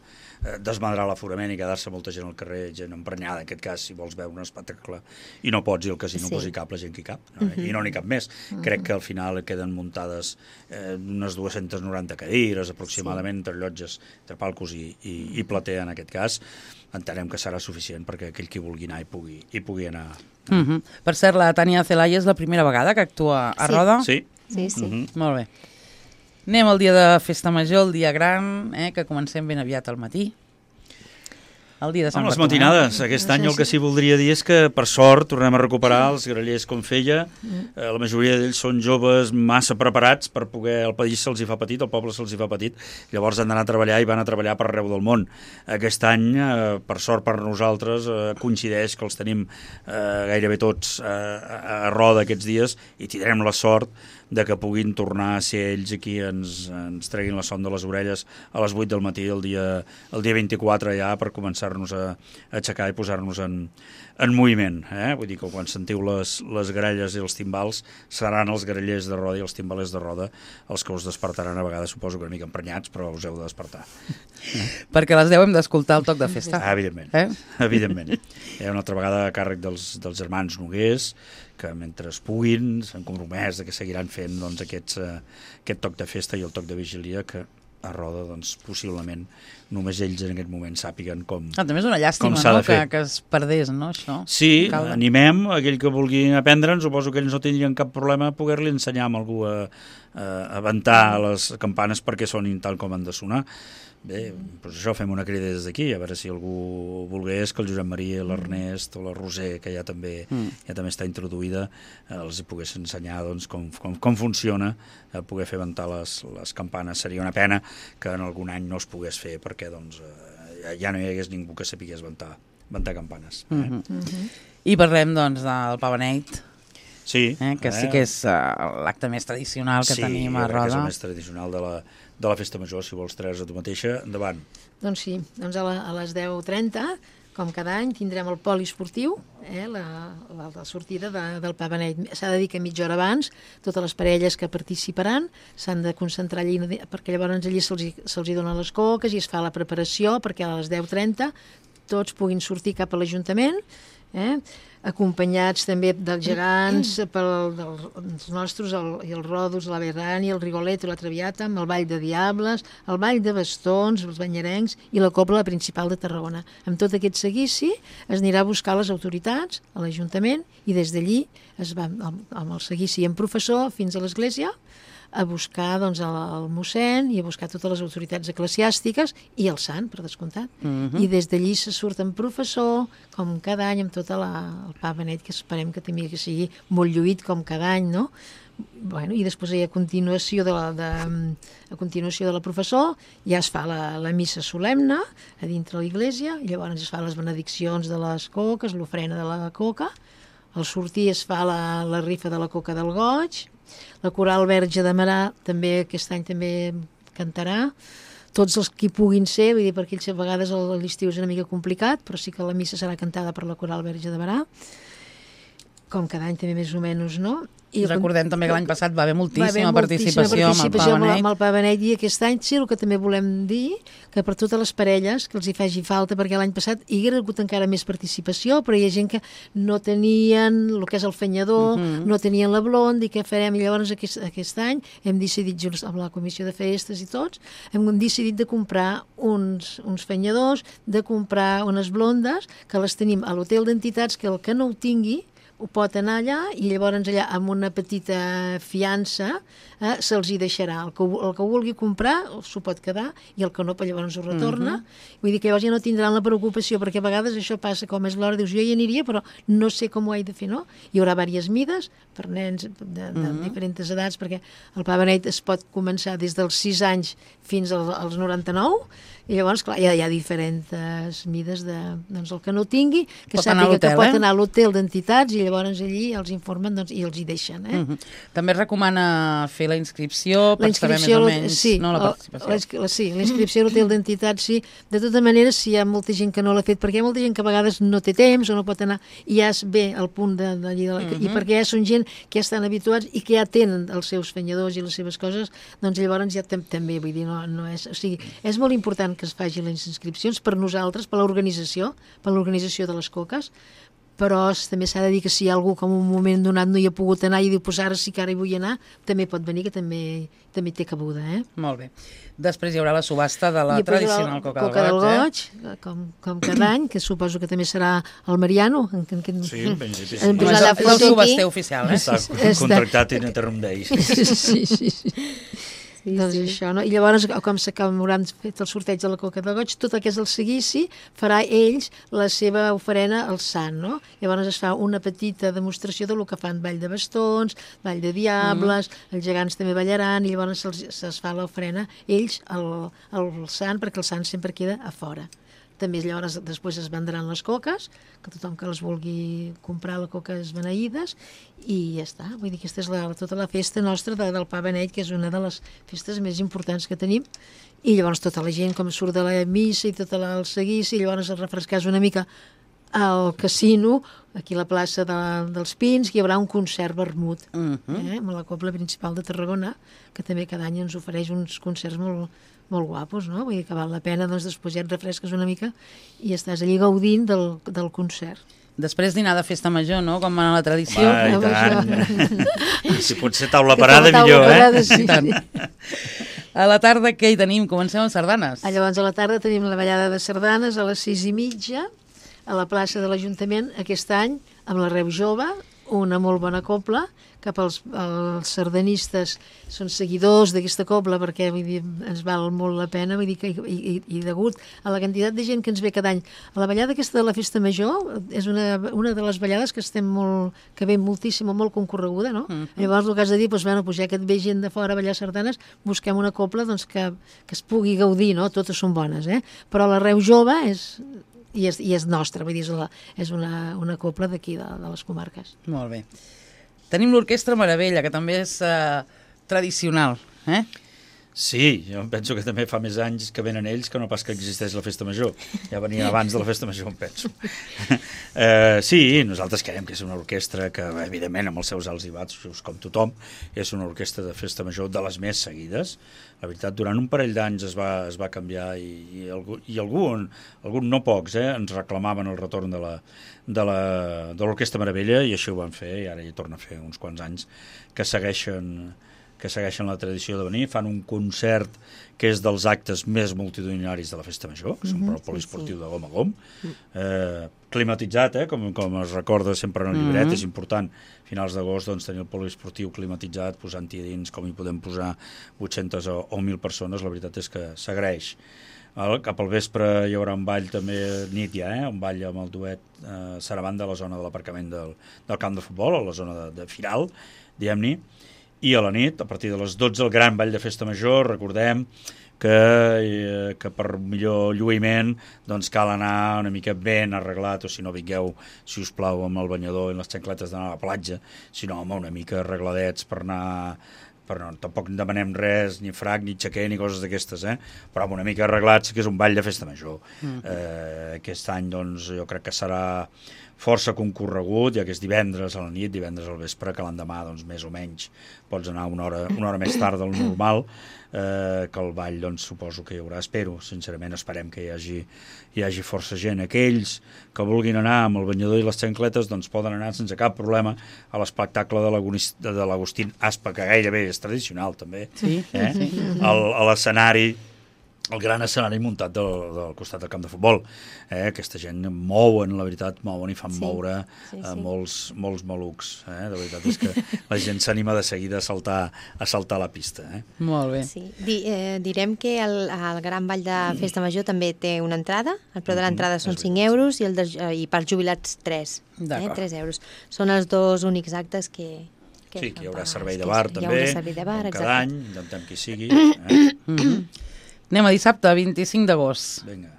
desmadrar l'aforament i quedar-se molta gent al carrer, gent emprenyada, en aquest cas, si vols veure un espectacle i no pots, i el casino posi cap la gent que hi cap, i no n'hi cap més. Crec que al final queden muntades unes 290 cadires aproximadament, entre llotges, entre palcos i plater en aquest cas. Entenem que serà suficient perquè aquell qui vulgui anar hi pugui anar. Per cert, la Tània Zelaya és la primera vegada que actua a Roda? Sí. Molt bé. Anem al dia de Festa Major, el dia gran, que comencem ben aviat al matí. El dia de Sant Bartomeu. Les matinades. Aquest any el que sí voldria dir és que, per sort, tornem a recuperar els grallers com feia. La majoria d'ells són joves massa preparats per poder... El país se'ls hi fa petit, el poble se'ls hi fa petit. Llavors han d'anar a treballar i van a treballar per arreu del món. Aquest any, per sort per nosaltres, coincideix que els tenim gairebé tots a Roda aquests dies i tindrem la sort de que puguin tornar a ser ells aquí, ens treguin la son de les orelles a les 8 del matí el dia 24 ja per començar-nos a aixecar i posar-nos en moviment. Vull dir que quan sentiu les gralles i els timbals seran els grallers de Roda i els timbalers de Roda els que us despertaran, a vegades suposo que una mica emprenyats, però us heu de despertar. Perquè les 10 hem d'escoltar el toc de festa. Evidentment. Evidentment. Hi ha una altra vegada a càrrec dels germans Noguers, que mentre es puguin s'han compromès que seguiran fent aquest toc de festa i el toc de vigília que a Roda, possiblement només ells en aquest moment sàpiguen com també és una llàstima, que es perdés, no, això? Sí, animem aquell que vulgui aprendre'n, suposo que ells no tindrien cap problema a poder-li ensenyar a algú a ventar les campanes perquè sonin tal com han de sonar. Bé, doncs això, fem una crida des d'aquí, a veure si algú volgués que el Josep Maria, l'Ernest o la Roser, que ja també està introduïda, els hi pogués ensenyar com funciona poder fer ventar les campanes. Seria una pena que en algun any no es pogués fer perquè ja no hi hagués ningú que sapigués ventar campanes. I parlem del Pavaneit. Sí. Que sí que és l'acte més tradicional que tenim a Roda. Sí, és el més tradicional de la Festa Major. Si vols treure a tu mateixa, endavant. Doncs sí, a les 10:30 com cada any, tindrem el poliesportiu, la sortida del Pa Beneit. S'ha de dir que mitja hora abans totes les parelles que participaran s'han de concentrar allí, perquè llavors allí se'ls hi donen les coques i es fa la preparació perquè a les 10:30 tots puguin sortir cap a l'Ajuntament, acompanyats també dels gegants, dels nostres, i els Rodos, la Berrani, el Rigoletto, la Traviata, amb el Ball de Diables, el Ball de Bastons, els Banyerencs i la Cobla Principal de Tarragona. Amb tot aquest seguici es anirà a buscar les autoritats a l'Ajuntament i des d'allí es va amb el seguici en professor fins a l'església a buscar doncs, el mossèn i a buscar totes les autoritats eclesiàstiques i el sant, per descomptat. I des d'allí se surt en professor, com cada any, amb tot el Pa Beneit, que esperem que també sigui molt lluït com cada any, no? Bueno, i després a continuació de la professor ja es fa la missa solemne a dintre de l'església, i llavors es fa les benediccions de les coques, l'ofrena de la coca, al sortir es fa la rifa de la coca del goig. La coral Verge de Marà també aquest any també cantarà, tots els que hi puguin ser, vull dir, perquè ells a vegades l'estiu és una mica complicat, però sí que la missa serà cantada per la coral Verge de Marà, com cada any també més o menys, no? I recordem també que l'any passat va haver moltíssima participació amb el Pa Beneit. Amb el Pa Beneit, i aquest any sí, el que també volem dir, que per totes les parelles que els hi faci falta, perquè l'any passat hi hagués hagut encara més participació, però hi ha gent que no tenien el que és el fenyador, no tenien la blonda, i què farem? I llavors aquest any hem decidit, junts amb la comissió de festes i tots, hem decidit de comprar uns fenyadors, de comprar unes blondes, que les tenim a l'hotel d'entitats, que el que no ho tingui ho pot anar allà, i llavors allà amb una petita fiança se'ls hi deixarà. El que ho vulgui comprar s'ho pot quedar, i el que no, llavors ho retorna. Vull dir que llavors ja no tindran la preocupació, perquè a vegades això passa, com és l'hora, dius, jo hi aniria, però no sé com ho he de fer, no? Hi haurà diverses mides per nens de diferents edats, perquè el Pa Beneit es pot començar des dels 6 anys fins als 99, i llavors, clar, hi ha diferents mides doncs el que no tingui, que sàpiga que pot anar a l'hotel d'entitats, i llavors allí els informen i els hi deixen. També es recomana fer la inscripció per saber més o menys la participació. Sí, la inscripció a l'hotel d'entitats, sí. De tota manera, si hi ha molta gent que no l'ha fet, perquè hi ha molta gent que a vegades no té temps o no pot anar, i ja es ve al punt d'allí, i perquè ja són gent que ja estan habituats i que ja tenen els seus fenyadors i les seves coses, doncs llavors ja també, vull dir, no és... O sigui, és molt important que es facin les inscripcions per nosaltres, per l'organització de les coques, però també s'ha de dir que si hi ha algú que en un moment donat no hi ha pogut anar i diu, pues ara sí que ara hi vull anar, també pot venir, que també té cabuda. Molt bé. Després hi haurà la subhasta de la tradicional coca del goig, com cada any, que suposo que també serà el Mariano. Sí, en principi sí. És el subhaster oficial, Està contractat in eternum Deis. Sí. Doncs això, no? I llavors, com hauran fet el sorteig de la coca de goig, tot el que és el seguici farà ells la seva ofrena al sant, no? Llavors es fa una petita demostració del que fan Ball de Bastons, Ball de Diables, els gegants també ballaran, i llavors es fa l'ofrena ells al sant, perquè el sant sempre queda a fora. També llavors després es vendran les coques, que tothom que les vulgui comprar la coca és beneïdes, i ja està. Vull dir que aquesta és tota la festa nostra del Pa Beneit, que és una de les festes més importants que tenim, i llavors tota la gent com surt de la missa i tot el seguici, i llavors es refrescàs una mica al casino, aquí a la plaça dels Pins, que hi haurà un concert vermut, amb la Cobla Principal de Tarragona, que també cada any ens ofereix uns concerts molt guapos, no? Vull dir que val la pena, doncs després ja et refresques una mica i estàs allí gaudint del concert. Després dinar de festa major, no? Com va la tradició. Va, i tant. Si pot ser taula parada, millor, Sí. A la tarda què hi tenim? Comencem amb sardanes. Llavors a la tarda tenim la ballada de sardanes a les 6:30 a la plaça de l'Ajuntament, aquest any amb la Reu Jove, una molt bona cobla, que els sardanistes són seguidors d'aquesta cobla, perquè vull dir, ens val molt la pena, vull dir que, i degut a la quantitat de gent que ens ve cada any. La ballada aquesta de la Festa Major és una de les ballades que ve moltíssim, molt concorreguda, no? Llavors el que has de dir, doncs, bueno, ja que et ve gent de fora a ballar sardanes, busquem una cobla doncs, que es pugui gaudir, no? Totes són bones, però la Reu Jove és nostra, vull dir, és una cobla d'aquí, de les comarques. Molt bé. Tenim l'Orquestra Meravella, que també és tradicional, Sí, jo penso que també fa més anys que venen ells que no pas que existeix la festa major. Ja venien abans de la festa major, em penso. Sí, nosaltres creiem que és una orquestra que, evidentment, amb els seus alts i baixos, com tothom, és una orquestra de festa major de les més seguides. La veritat, durant un parell d'anys es va canviar i algun, no pocs, ens reclamaven el retorn de l'Orquestra Meravella i així ho van fer, i ara hi torna a fer uns quants anys que segueixen la tradició de venir, fan un concert que és dels actes més multitudinaris de la Festa Major, que són el poliesportiu de Gom a Gom, climatitzat, com es recorda sempre en el llibret, és important, a finals d'agost tenir el poliesportiu climatitzat, posant-hi a dins com hi podem posar 800 o 1.000 persones, la veritat és que s'agraeix. Cap al vespre hi haurà un ball també, nit ja, un ball amb el duet Sarabanda a la zona de l'aparcament del camp de futbol, a la zona de Firal, diguem-ne, i a la nit, a partir de les 12, el gran ball de festa major. Recordem que per millor lluïment cal anar una mica ben arreglat, o si no vingueu, si us plau, amb el banyador i les xancletes d'anar a la platja, sinó una mica arregladets per anar... tampoc en demanem res, ni frac, ni xaquer, ni coses d'aquestes, però amb una mica arreglats, que és un ball de festa major. Aquest any, jo crec que serà força concorregut, ja que és divendres a la nit, divendres al vespre, que l'endemà, més o menys, pots anar una hora més tard del normal, que el ball, suposo que hi haurà, sincerament esperem que hi hagi força gent. Aquells que vulguin anar amb el banyador i les xancletes, poden anar sense cap problema a l'espectacle de l'Agustín Aspa, que gairebé és tradicional, també, a l'escenari, el gran escenari muntat del costat del camp de futbol. Aquesta gent mouen, la veritat, i fan moure molts malucs. La veritat és que la gent s'anima de seguida a saltar la pista. Molt bé. Sí. Direm que el Gran Ball de Festa Major també té una entrada. El preu de l'entrada són 5 euros i per jubilats 3. 3 euros. Són els dos únics actes que... Sí, que hi haurà servei de bar també, com cada any, intentem que hi sigui. Anem a dissabte, 25 d'agost. Vinga.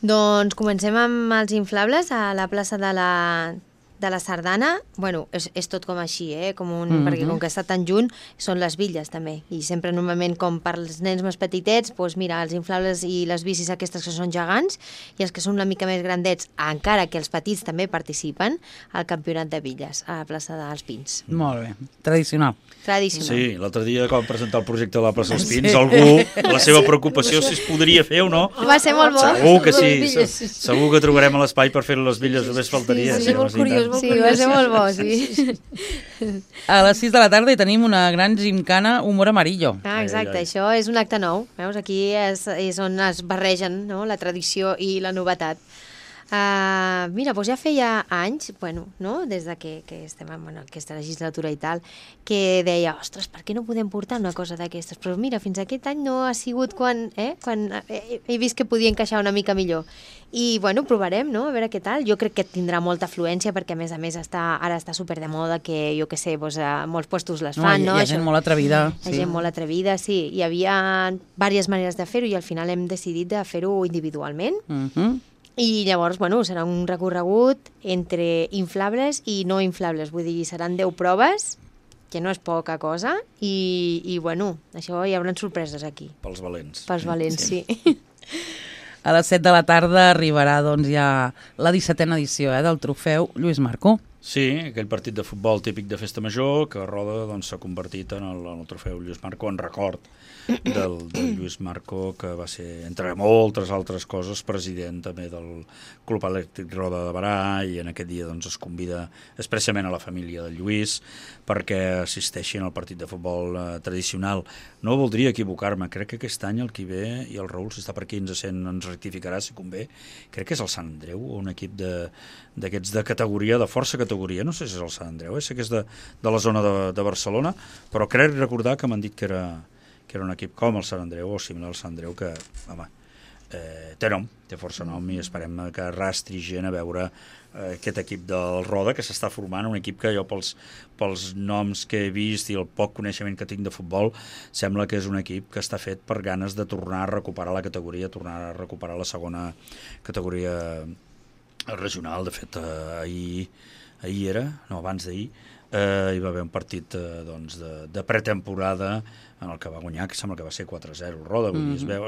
Doncs comencem amb els inflables a la plaça de la Sardana. Bueno, és tot com així, perquè com que està tan junt, són les bitlles també. I sempre normalment, com per als nens més petitets, mira, els inflables i les bicis aquestes que són gegants i els que són una mica més grandets, encara que els petits també participen al campionat de bitlles a la plaça dels Pins. Molt bé, tradicional. Sí, l'altre dia que vam presentar el projecte de la plaça dels Pins, algú, la seva preocupació si es podria fer o no. Va ser molt bo. Segur que sí, segur que trobarem l'espai per fer les bitlles, només faltaria. Sí, molt curiós. Sí, va ser molt bo, sí. A les 6 de la tarda hi tenim una gran gimcana Humor Amarillo. Exacte, això és un acte nou. Veus, aquí és on es barregen, no?, la tradició i la novetat. Mira, doncs ja feia anys, des de que estem en aquesta legislatura i tal, que deia, ostres, per què no podem portar una cosa d'aquestes? Però mira, fins aquest any no ha sigut quan he vist que podia encaixar una mica millor. I, provarem, no?, a veure què tal. Jo crec que tindrà molta afluència perquè, a més, ara està super de moda que, jo què sé, molts puestos les fan, no? Hi ha gent molt atrevida. Hi ha gent molt atrevida, sí. Hi havia diverses maneres de fer-ho i al final hem decidit de fer-ho individualment. I llavors, serà un recorregut entre inflables i no inflables, vull dir, seran 10 proves, que no és poca cosa, i això hi haurà sorpreses aquí. Pels valents. Pels valents, sí. A les 7 de la tarda arribarà ja la 17a edició del trofeu Lluís Marcó. Sí, aquell partit de futbol típic de festa major que a Roda s'ha convertit en el trofeu Lluís Marcó, en record del Lluís Marcó, que va ser, entre moltes altres coses, president també del Club Elèctric Roda de Barà, i en aquest dia es convida expressament a la família del Lluís perquè assisteixin al partit de futbol tradicional. No voldria equivocar-me, crec que aquest any el qui ve, i el Raül, si està per aquí ens rectificarà si convé, crec que és el Sant Andreu, un equip d'aquests de categoria, de força categoria, no sé si és el Sant Andreu, sé que és de la zona de Barcelona, però crec recordar que m'han dit que era un equip com el Sant Andreu o similar al Sant Andreu, que, home, té força nom, i esperem que arrastri gent a veure aquest equip del Roda, que s'està formant, un equip que jo pels noms que he vist i el poc coneixement que tinc de futbol, sembla que és un equip que està fet per ganes de tornar a recuperar la categoria, tornar a recuperar la segona categoria regional. De fet, abans d'ahir, hi va haver un partit de pretemporada en el que va guanyar, que sembla que va ser 4-0 el Roda, vull dir, es veu,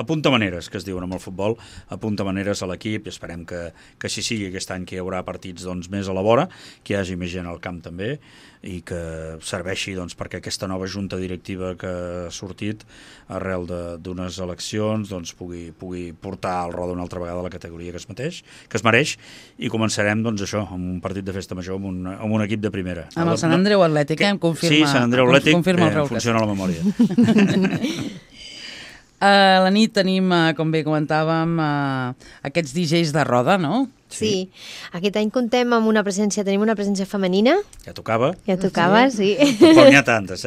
apunta maneres, que es diuen amb el futbol, apunta maneres a l'equip, i esperem que així sigui aquest any, que hi haurà partits més a la vora, que hi hagi més gent al camp també, i que serveixi perquè aquesta nova junta directiva que ha sortit arrel d'unes eleccions pugui portar el Roda una altra vegada a la categoria que es mereix, i començarem això, amb un partit de festa major amb un equip de primera. Amb el Sant Andreu Atlètic, em confirma. Sí, Sant Andreu Atlètic, funciona la memòria. A la nit tenim, com bé comentàvem, aquests DJs de Roda, no? Sí, aquest any tenim una presència femenina. Ja tocava. Sí. Però n'hi ha tantes,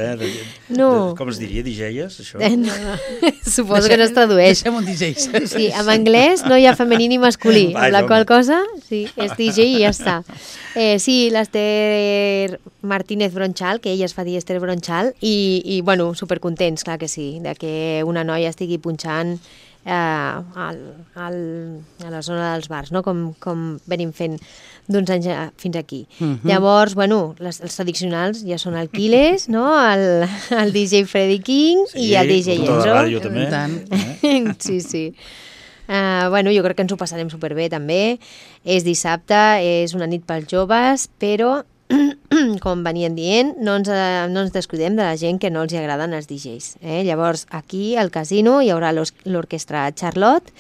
No. Com es diria, DJs, això? Suposo que no es tradueix. Deixem un DJs. Sí, en anglès no hi ha femení ni masculí, amb la qual cosa, sí, és DJ i ja està. Sí, l'Ester Martínez Bronchal, que ella es fa dir Esther Bronchal, i bueno, supercontents, clar que sí, de que una noia estigui punxant a la zona dels bars, no? com venim fent d'uns anys fins aquí. Llavors, bueno, els tradicionals ja són el Quiles, no? el DJ Freddy King i el DJ Enzo. Sí, ràdio també. Sí. Bueno, jo crec que ens ho passarem superbé també. És dissabte, és una nit pels joves, però com venien dient, no ens descuidem de la gent que no els agraden els DJs. Llavors, aquí, al casino, hi haurà l'orquestra Charlotte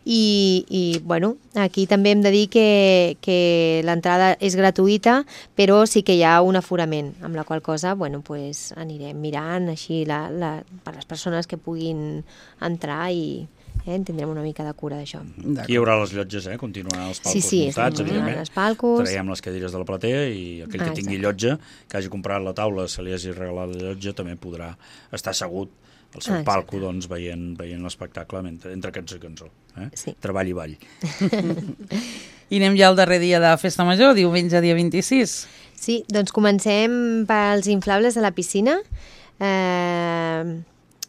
i bueno, aquí també hem de dir que l'entrada és gratuïta, però sí que hi ha un aforament, amb la qual cosa, bueno, pues, anirem mirant així per les persones que puguin entrar i tindrem una mica de cura d'això. Aquí hi haurà les llotges, continuaran els palcos muntats, evidentment. Els palcos. Traiem les cadires de la platea i aquell que tingui llotja, que hagi comprat la taula, se li hagi regalat la llotja, també podrà estar assegut al seu palco veient l'espectacle entre cançó i cançó. Sí. Treball i ball. I anem ja al darrer dia de Festa Major, diumenge dia 26. Sí, doncs comencem pels inflables de la piscina.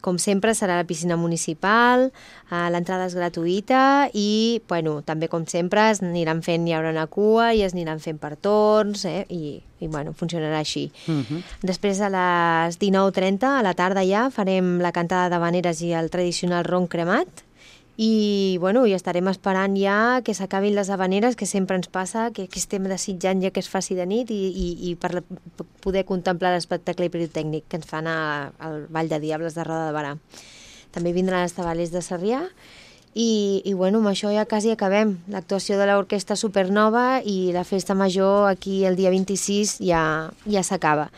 Com sempre, serà la piscina municipal, l'entrada és gratuïta i, bueno, també com sempre hi haurà una cua i es aniran fent per torns i bueno, funcionarà així. Després a les 19:30, a la tarda ja, farem la cantada d'havaneres i el tradicional ron cremat i, bueno, i estarem esperant ja que s'acabin les havaneres, que sempre ens passa, que estem desitjant ja que es faci de nit i per poder contemplar l'espectacle pirotècnic que ens fan al Vall de Diables de Roda de Barà. També vindran els tabalers de Sarrià i bueno, amb això ja quasi acabem. L'actuació de l'Orquestra Supernova i la Festa Major aquí el dia 26 ja s'acaba.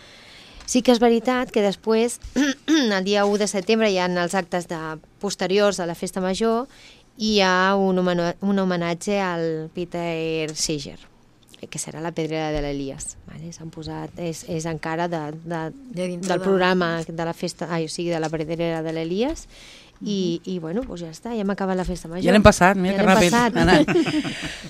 Sí que és veritat que després, el dia 1 de setembre, hi ha els actes posteriors a la Festa Major i hi ha un homenatge al Peter Seeger, que serà la pedrera de l'Elies. S'han posat, és encara del programa de la festa, o sigui, de la pedrera de l'Elies. I bueno, doncs ja està, ja hem acabat la Festa Major. Ja l'hem passat, mira que ràpid.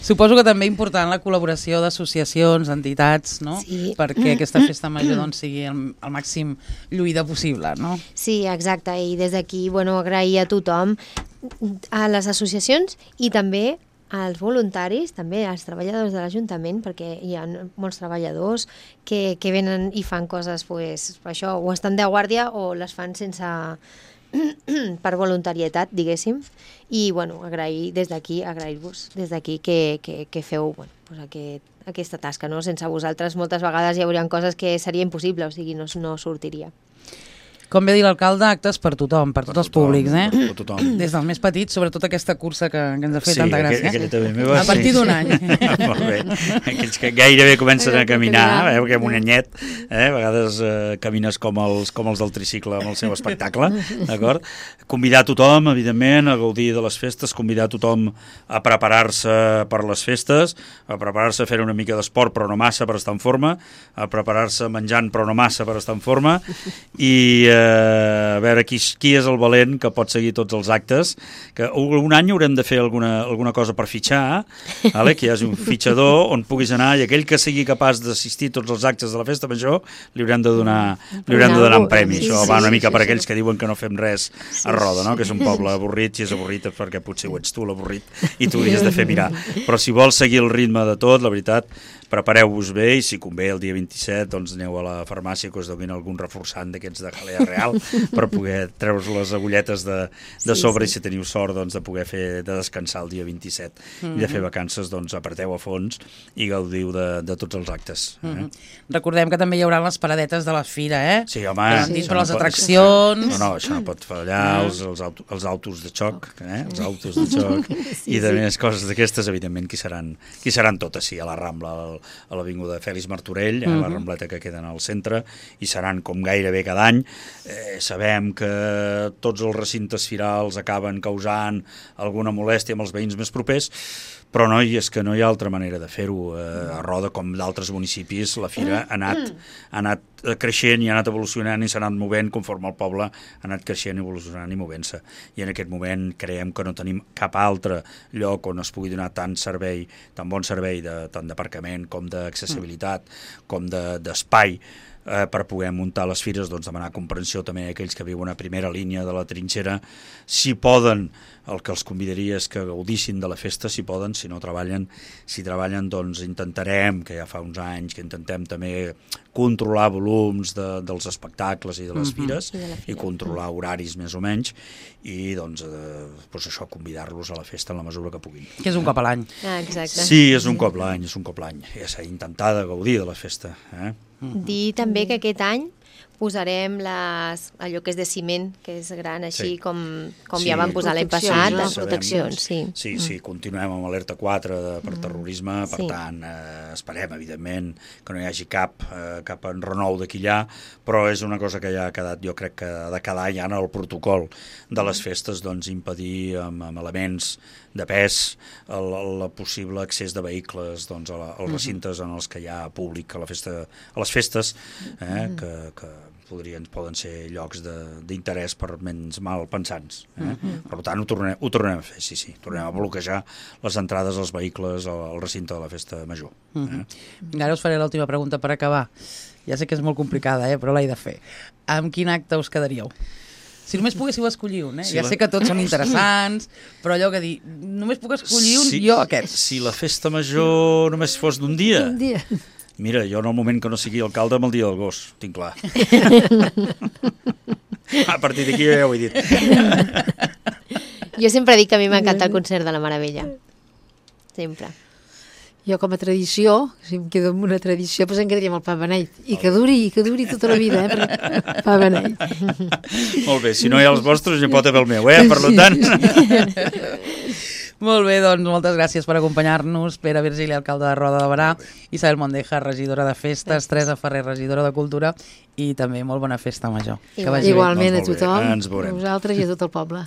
Suposo que també important la col·laboració d'associacions, entitats, no? Sí. Perquè aquesta Festa Major sigui el màxim lluïda possible, no? Sí, exacte, i des d'aquí, bueno, agrair a tothom, a les associacions i també als voluntaris, també als treballadors de l'Ajuntament, perquè hi ha molts treballadors que venen i fan coses, pues, això, o estan de guàrdia o les fan sense per voluntarietat, diguéssim, i bueno, agrair-vos des d'aquí que feu aquesta tasca, no? Sense vosaltres moltes vegades hi haurien coses que seria impossible, o sigui, no sortiria. Com bé dir l'alcalde, actes per tothom, per tots els públics, per tothom. Des dels més petits, sobretot aquesta cursa que ens ha fet tanta gràcia. Aquella també meva. A partir d'un any. Molt bé. Aquells que gairebé comencen a caminar, perquè amb un anyet, a vegades camines com els del tricicle amb el seu espectacle, d'acord? Convidar tothom, evidentment, a gaudir de les festes, convidar tothom a preparar-se per les festes, a preparar-se a fer una mica d'esport, però no massa per estar en forma, a preparar-se menjant, però no massa per estar en forma, i a veure qui és el valent que pot seguir tots els actes, que un any haurem de fer alguna cosa per fitxar, vale? Que hi hagi un fitxador on puguis anar, i aquell que sigui capaç d'assistir a tots els actes de la festa major li haurem de donar un premi. Això va una mica per aquells que diuen que no fem res a Roda, no? Que és un poble avorrit, si és avorrit és perquè potser ho ets tu l'avorrit i tu hauries de fer mirar. Però si vols seguir el ritme de tot, la veritat, prepareu-vos bé, i si convé el dia 27 doncs aneu a la farmàcia que us donin algun reforçant d'aquests de jalea real per poder treure les agulletes de sobre, i si teniu sort doncs de poder de descansar el dia 27 i de fer vacances, doncs apreteu a fons i gaudiu de tots els actes. Recordem que també hi haurà les paradetes de la fira, Sí, home. Dintre les atraccions. No, això no pot fallar, els autos de xoc, els autos de xoc i de més coses d'aquestes, evidentment, que seran totes, sí, a la Rambla, a l'avinguda Fèlix Martorell, a la Rambleta que queden al centre, i seran com gairebé cada any. Sabem que tots els recintes firals acaben causant alguna molèstia amb els veïns més propers, però no, és que no hi ha altra manera de fer-ho. A Roda, com d'altres municipis, la fira ha anat creixent i ha anat evolucionant i s'ha anat movent conforme el poble ha anat creixent, evolucionant i movent-se. I en aquest moment creiem que no tenim cap altre lloc on es pugui donar tant bon servei tant d'aparcament com d'accessibilitat com d'espai per poder muntar les fires, doncs demanar comprensió també a aquells que viuen a primera línia de la trinxera. Si poden, el que els convidaria és que gaudissin de la festa, si poden, si no treballen. Si treballen, doncs intentarem, que ja fa uns anys que intentem també controlar volums dels espectacles i de les fires i controlar horaris més o menys, i doncs això, convidar-los a la festa en la mesura que puguin. Que és un cop a l'any. Exacte. Sí, és un cop l'any, ja s'ha d'intentar de gaudir de la festa. Dir també que aquest any posarem allò que és de ciment, que és gran, així com ja vam posar l'any passat, de proteccions. Sí, continuem amb alerta 4 per terrorisme, per tant, esperem, evidentment, que no hi hagi cap enrenou d'aquí allà, però és una cosa que ja ha quedat, jo crec que de cada any en el protocol de les festes, doncs impedir amb elements de pes el possible accés de vehicles als recintes en els que hi ha públic a les festes, que poden ser llocs d'interès per ments malpensants. Per tant, ho tornem a fer, sí. Tornem a bloquejar les entrades als vehicles al recinte de la festa major. Ara us faré l'última pregunta per acabar. Ja sé que és molt complicada, però l'he de fer. Amb quin acte us quedaríeu? Si només poguéssiu escollir un, ja sé que tots són interessants, però allò que dir, només puc escollir un, jo aquest. Si la festa major només fos d'un dia... Mira, jo en el moment que no sigui alcalde amb el dia del gos, tinc clar. A partir d'aquí ja ho he dit. Jo sempre dic que a mi m'encanta el concert de la Meravella. Sempre. Jo com a tradició, si em quedo amb una tradició, doncs em quedaria amb el pa beneit. I que duri tota la vida, perquè pa beneit. Molt bé, si no hi ha els vostres, hi pot haver el meu, per tant... Molt bé, doncs moltes gràcies per acompanyar-nos. Pere Virgili, alcalde de Roda de Berà, Isabel Mondeja, regidora de Festes, Teresa Ferrer, regidora de Cultura, i també molt bona festa major. Igualment a tothom, a vosaltres i a tot el poble.